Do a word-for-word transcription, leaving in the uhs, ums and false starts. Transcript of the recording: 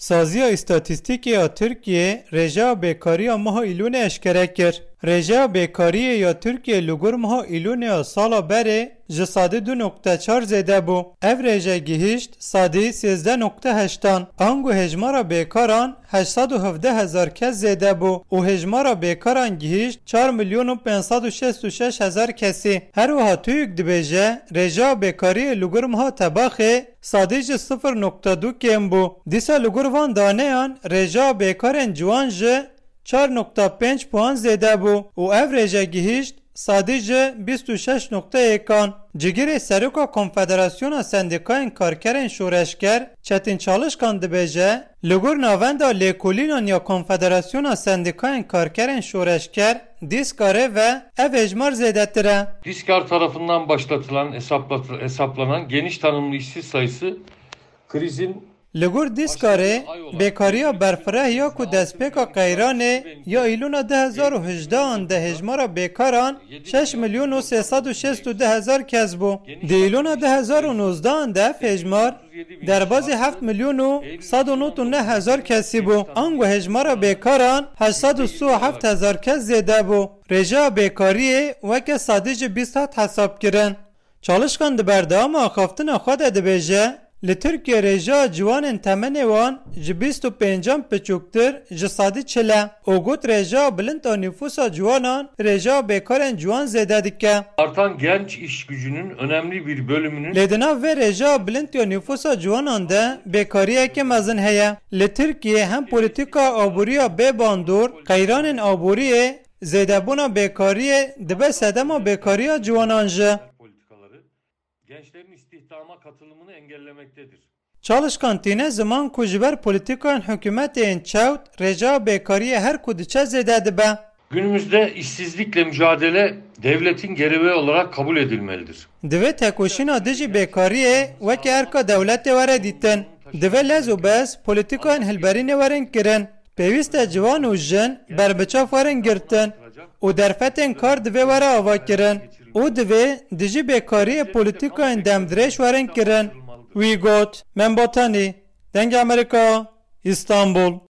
Saziya Îstatîstîkê ya Tirkiyê rêjeya bêkariya meha Îlûnê eşkere kir. Rêjeya bêkariyê ya Tirkiyê li gor meha Îlûnê ya sala berê ji sedî du nokte çar zêde bû. Ev rêje gihîşt sedî sêzdeh nokte heştan. Ango hêjmara bêkaran heşt sed û hevdeh hezar kes zêde bû û hêjmara bêkaran gihîşt çar milyon û pênc sed û şêst û şeş hezar kesî. Her wiha TÜİK dibêje, rêjeya bêkariyê li gor meha Tebaxê sadî ji sifir nokte du kêm bû. Dîsa li gor van daneyan rêjeya bêkarên ciwan ji çar nokte pênc puan zêde bû û ev rêje gihîşt sadî ji bîst û şeş nokte yek an. Cigirê Seroka Konfederasyona Sendîkayên Karkerên Şoreşger Çetin Çalışkan dibêje, li gor navenda lêkolînan ya Konfederasyona Sendîkayên Karkerên Şoreşger, Dîskarê ve ev hêjmar zêdetir e. Dîskar tarafından başlatılan, hesaplatı-, hesaplanan geniş tanımlı işsiz sayısı krizin Li gor Dîskarê, bêkariya berfireh ya ku destpêka qeyranê ya Îlûna du hezar û hejdehan de hêjmara bêkaran şeş milyon û sê sed û şêst û du hezar kes bû. Di Îlûna du hezar û nozdehan de ev hêjmar derbazî heft milyon û sed û nod û neh hezar kesî bû. Ango hêjmara bêkaran heşt sed û sî û heft hezar kes zêde bû. Rêjeya bêkariyê weke sedî ji bîst hat hesab kirin. Çalışkan di berdewama axaftina xwe de dibêje, li Tirkiye rêjeya ciwanên temenê wan ji bîst û pêncan piçûktir ji sedî çil e û got rêjeya bilind a nîfûsa ciwanan rêjeya bêkarên ciwan zêde dike. Artan genç iş gücünün önemli bir bölümünün Lê di nav vê rêjeya bilind ya nîfûsa ciwanan de bêkariyeke mezin heye. Li Tirkiye hem polîtîka aboriya bê bandor, qeyranên aboriyê, zêdebûna bêkariyê dibe sedema bêkariya ciwanan jî. Politikaları gençlerin istihdama katılımını engellemektedir. Çalışkan tîne ziman ku ji ber polîtîkayên hikûmetê yên çewt rêjeya bêkariyê her ku diçe zêde dibe. Günümüzde işsizlikle mücadele devletin gerevi olarak kabul edilmelidir. Divê tekoşîna dijî bêkariyê weke erka dewletê were dîtin. Divê lez û bez polîtîkayên hilberînê werin kirin. Pêwîst e ciwan û jin berbiçav werin girtin û derfetên kar divê were avakirin û divê dijî bêkariyê polîtîkayên demdirêj werin kirin. Wî got, Membatanî, Dengê Amerîka, Îstanbul.